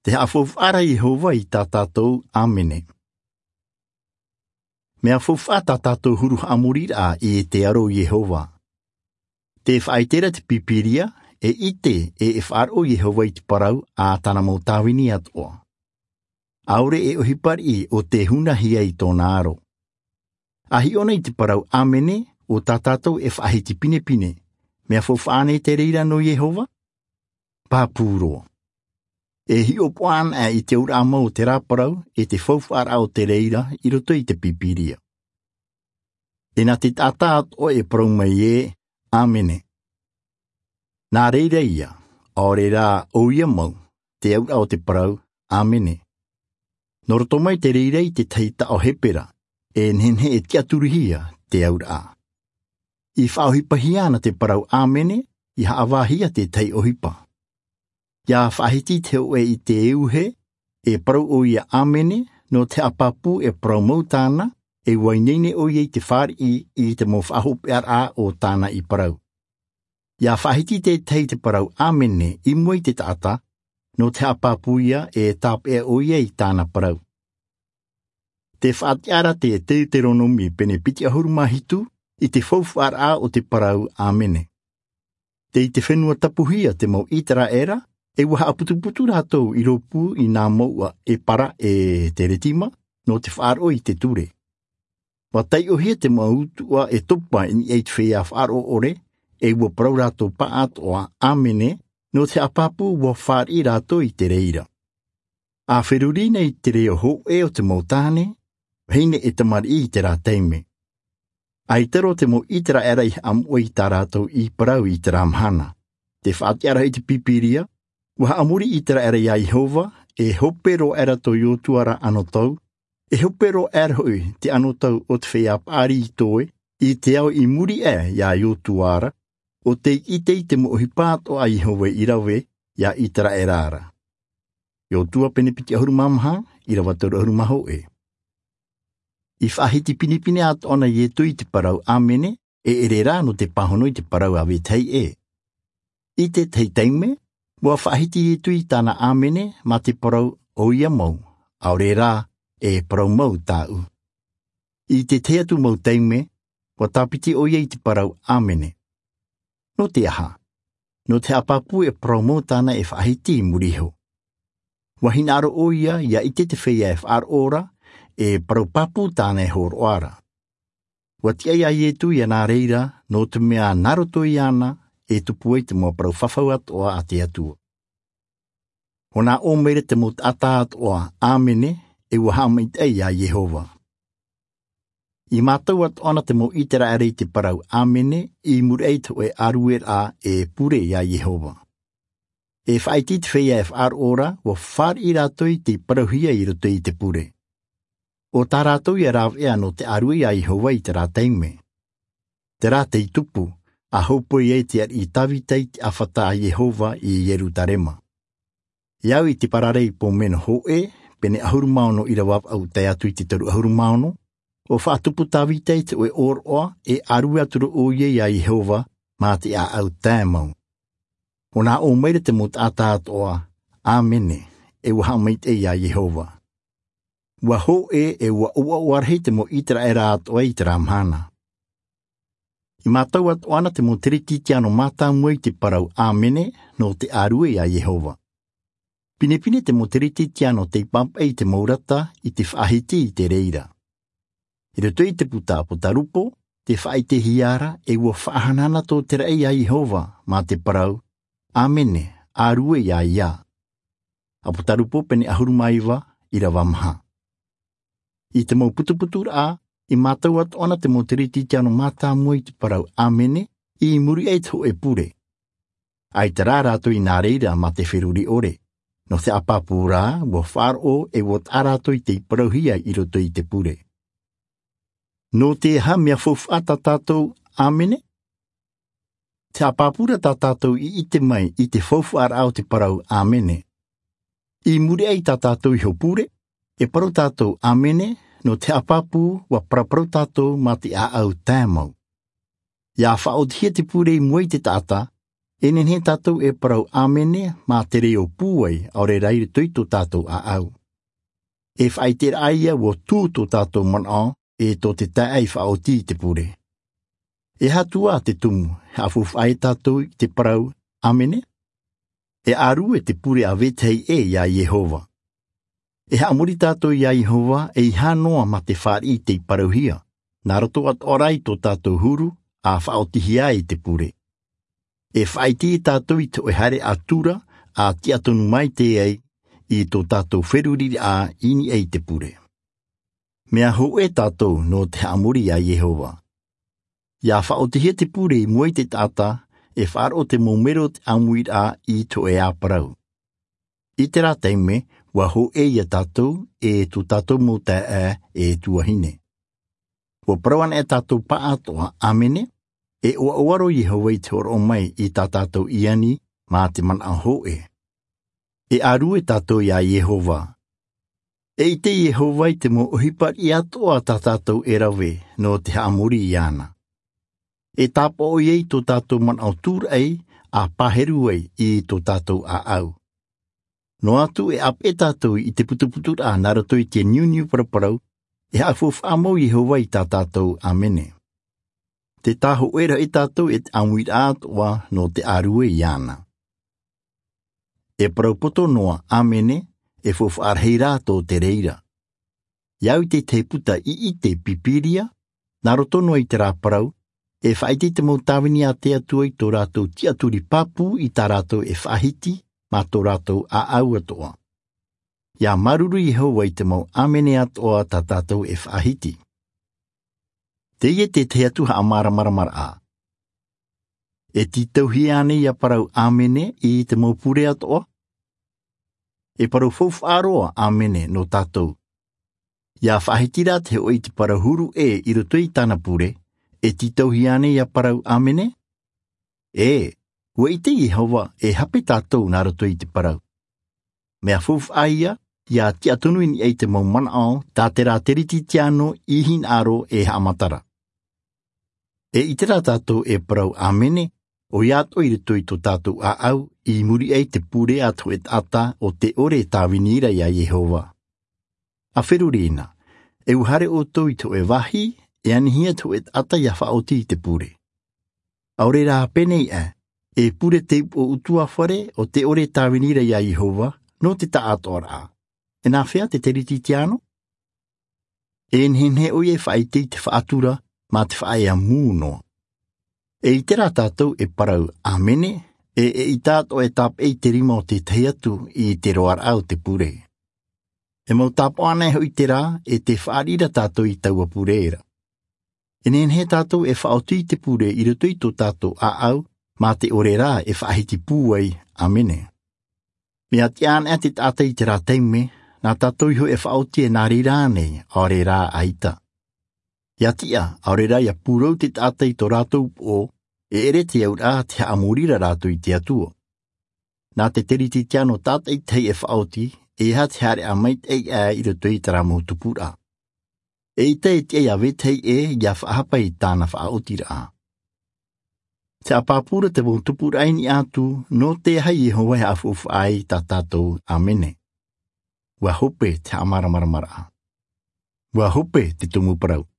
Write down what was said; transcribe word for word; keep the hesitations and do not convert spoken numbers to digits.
Te ha'a faufa'a ra Iehova i tā tātou āmene. Me'a faufa'a tā tātou huru ha'amorira'a i te aro o Iehova. Te fa'aite ra te Pīpīria, e 'ite ē e fa'aro'o Iehova i te parau a tāna mau tāvini ato'a. 'Aore e 'ohipa ri'i 'o tē hunahi ai tō'ona aro. A hi'o na i te parau āmene, 'o tā tātou e fa'ahiti pinepine, me'a faufa'a ānei te reira nō Iehova? Pāpū roa. E hi'o pu'a ana'a i te aura'a mau o te rā parau e te faufa'ara'a o te reira 'i roto i te Pīpīria. E na te ta'ata ato'a e parau mai ē, āmene. Nā reira ia, 'aore rā 'oia mau, te aura'a o te parau āmene. Nō roto mai te reira i te tahi ta'o Hepera, e nehenehe e ti'aturihia te aura'a. I fa'aohipahia na te parau āmene, i ha'avāhia te tahi 'ohipa. I a fa'ahiti te hō'ē i te euhe, e parau 'oia āmene, nō te ha'apāpū e parau mau tāna, e uaineinei 'oia i te fāri'i i te mau fa'ahope'ara'a o tāna i parau. I a fa'ahiti te tahi te parau āmene 'i mua i te ta'ata, nō te ha'apāpū ia e tāpe'a 'oia i tāna parau. Te fa'ati'ara te Teuteronome pene piti 'ahuru mā hitu, i te faufa'ara'a o te parau āmene. Tei te fenua tapuhia te mau 'Īterā'era, e ua ha'aputuputu rātou 'i rōpū i nā mou'a e para e te retima, nō te fa'aro'o i te ture. Ua tai'ohia te mau utu'a e topa i ni'a i te feiā fa'aro'o 'ore, e ua parau rātou pā'ato'a āmene, nō te ha'apāpū ua fāri'i rātou i te reira. A feruri na i te re'o hō'ē o te mau tāne, vahine 'e tamari'i i te rā taime. Ai taro te mau 'Īterā'era i ha'amo'a i tā rātou i parau i te rā mahana. Te fa'ati'ara i te Pīpīria, ua ha'amuri 'Īterā'era i a Iehova, e hope roa ae ra tō Iotua ra 'anotau, e hope roa ae ra ho'i te 'anotau o te feiā pa'ari i toe, i te ao i muri ae i a Iotua ra, 'o tei 'ite i te mau 'ohipa ato'a a Iehova i rave i a 'Īterā'era ra. Iotua pene piti 'ahuru mā maha, irava toru 'ahuru mā hō'ē. I fa'ahiti pinepine ato'a na Ietu i te parau āmene, e 'ere rā nō te pāhono i te parau a vetahi ē. I te tahi taime, ua fa'ahiti Ietu i tāna āmene mā te parau 'oia mau, 'aore rā, e parau mau tā'u. I te tahi atu mau taime, ua tāpiti 'oia i te parau āmene. Nō te aha? Nō te ha'apāpū e parau mau tāna e fa'ahiti i muri iho. Ua hinaaro 'oia i a 'ite te feiā e fa'aro'o ra, e parau pāpū tāna e hōro'a ra. Ua ti'a i a Ietu i a nā reira, nō te me'ā nā roto iāna, e tupu ai te mau parau fafau ato'a a te Atua. Ho nā 'ō mai ra te mau ta'ata ato'a āmene, e ua ha'ama'ita'i i a Iehova. I mātau ato'a na te mau 'Īterā'era i te parau āmene, i muri ae i te hō'ē aruera'a e pure i a Iehova. E fa'aite i te feiā e fa'aro'o ra, ua fāri'i rātou i te parauhia 'i roto i te pure. 'O tā rātou i a rāve'a nō te arue i a Iehova i te rā taime. Te rā tei tupu, a hōpoi ai te ari'i Tavita i te 'āfata a Iehova i Ierutarema. I au i te Pararei Pōmeno hō'ē, pene 'ahuru mā ono irava va'u tae atu i te toru 'ahuru mā ono, 'o fa'atupu Tavita i te hō'ē 'ōro'a, e arue atu ra 'oia i a Iehova, mā te 'ā'au tae mau. Ho nā 'ō mai ra te mau ta'ata ato'a, āmene, e ua ha'ama'ita'i i a Iehova. Ua hō'ē e ua 'oua'oa rahi te mau 'Īterā'era ato'a i te rā mahana. I mātau ato'a na te mau Teretitiano mātāmua i te parau āmene, nō te arue i a Iehova. Pinepine te mau Teretitiano tei pāpa'i i te mau rata i te fa'ahiti i te reira. 'I roto i te puta Apotarupo, te fa'aitehia ra, e ua fa'ahanahana tō te ra'i i a Iehova, mā te parau, āmene, arue i a ia. Apotarupo pene 'ahuru mā iva, irava maha. I te mau putuputura'a, i mātau ato'a na te mau Teretitiano mātāmua i te parau āmene, i muri ae i te hō'ē pure. 'Aita rā rātou i nā reira mā te feruri 'ore. Nō te ha'apāpū rā, ua fa'aro'o e ua ta'a rātou i tei parauhia 'i roto i te pure. Nō te aha me'a faufa'a tā tātou āmene? Te ha'apāpū ra tā tātou i 'ite mai i te faufa'ara'a o te parau āmene. I muri ae i tā tātou iho pure, e parau tātou āmene, nō te ha'apāpū ua paraparau tātou mā te 'ā'au tae mau. I a fa'aotihia te pure 'i mua i te ta'ata, E nehenehe tātou e parau ʻāmene mā te reio pūai ʻaore rā i roto i tō tātou ʻāʻau. E faʻaiteraʻa ia ʻo tū tō tātou manaʻo ʻe tō te taeaʻe faʻaoti i te pure. E aha atu ā te tumu, e haʻafaufaʻa ai tātou i te parau ʻāmene? E ʻārue te pure ʻa vetahi ʻē ia Iehova. E haʻamori tātou ia Iehova ʻeiaha noa mā te fāriʻi tei parauhia, nā roto atoʻa rā i tō tātou huru, ʻa faʻaotihia ai te pure. E faʻaite ia tātou i te hōʻē haere atura, ʻa tiʻa tonu maite ai i tō tātou feruriraʻa i niʻa i te pure. Mea hōʻē tātou nō te haʻamori ia Iehova. ʻIa faʻaotihia te pure i mua i te taʻata, e faʻaroʻo te mau mero o te ʻāmuiraʻa i te hōʻē ā parau. I terā taime, ʻua hōʻē ia tātou, ʻe tō tātou mau taeaʻe, ʻe tuahine. ʻUa parau anaʻe tātou pāʻātoʻa ʻāmene, e ʻoaʻoa rō Iehova i te hōroʻa mai i tā tātou ʻiani, mā te manaʻo hōʻē. E ʻārue tātou ia Iehova. E ʻite Iehova i te mau ʻohipa riʻi atoʻa tā tātou e rave nō te haʻamori iāna. E tāpaʻo ia i tō tātou manaʻo tūraʻi, ʻa pāheru ai i tō tātou ʻāʻau. Noa atu e ʻāpeʻe tātou i te putuputuraʻa nā roto i te niuniu paraparau, e haʻafaufaʻa mau Iehova i tā tātou ʻāmene. Tē tāhōʻēraʻa tātou e te ʻāmuiraʻa atoʻa nō te ʻārue iāna. E parau poto noa ʻāmene, e faufaʻa rahi rā tō te reira. ʻIa au i te tahi puta ʻiʻite Pīpīria, nā roto noa i terā parau, e faʻaite te mau tāvini a te Atua i tō rātou tiʻaturi pāpū i tā rātou e faʻahiti, mā tō rātou ʻāʻau atoʻa. ʻIa māuruuru Iehova i te mau ʻāmene atoʻa tā tātou e faʻahiti. Teie te tahi atu haʻamāramaramaraʻa. E tītauhia ānei ʻia parau ʻāmene i te mau pure atoʻa? E parau faufaʻa roa ʻāmene nō tātou. ʻIa faʻahiti rā te hōʻē i te parau huru ʻē i roto i tāna pure, e tītauhia ānei ʻia parau ʻāmene? ʻĒ, ʻua ʻite Iehova e hape tātou nā roto i te parau. Mea faufaʻa ia, ʻia tiʻa tonu i niʻa i te mau manaʻo tā terā Terititiano i hinaʻaro e haʻamatara. E ʻite rā tātou e parau ʻāmene, ʻoia atoʻa i roto i tō tātou ʻāʻau, i muri aʻe i te pure ʻa te hōʻē taʻata ʻo tē ʻore e tāvini ra ia Iehova. ʻA feruri na, e ʻuhare ʻoutou i te hōʻē vāhi, e anihia te hōʻē taʻata ʻia faʻaoti i te pure. ʻAore rā pē nei ē, e pure te upoʻo ʻutuāfare ʻo tē ʻore e tāvini ra ia Iehova, nō te taʻatoʻaraʻa. E nāfea te Terititiano? E nehenehe ʻoia e faʻaite i te faʻatura, mā te faʻaea mū noa. E ʻite rā tātou e parau ʻāmene, ʻe, e ʻita atoʻa e tāpeʻa i te rima o te tahi atu i te roaraʻa o te pure. E mau tāpaʻo anaʻe hoʻi terā, e tē fāriʻi ra tātou i taua pure ra. E nehenehe tātou e faʻaoti i te pure i roto i tō tātou ʻāʻau, mā te ʻore rā e faʻahiti pūai, ʻāmene. Mea tiʻa anaʻe te taʻata i terā taime, nā tātou iho e faʻaoti e nā reira ānei, ʻaore rā ʻaita. ʻIa tiʻa, ʻaore rā ʻia pūrou te taʻata i tō rātou upoʻo, e ʻere te auraʻa te haʻamoriraʻa rātou i te Atua. Nā te Terititiano tātaʻitahi e faʻaoti, ʻeiaha te haereʻa maitaʻi aʻe i roto i terā mau tupuraʻa. E ʻita e tiʻa ia vetahi ʻē ʻia faʻahapa i tāna faʻaotiraʻa. Te ʻapapūra te mau tupuraʻa i niʻa atu, nō te aha Iehova e haʻafaufaʻa ai tā tātou ʻāmene. ʻUa hope te haʻamāramaramaraʻa. ʻUa hope te tumu parau.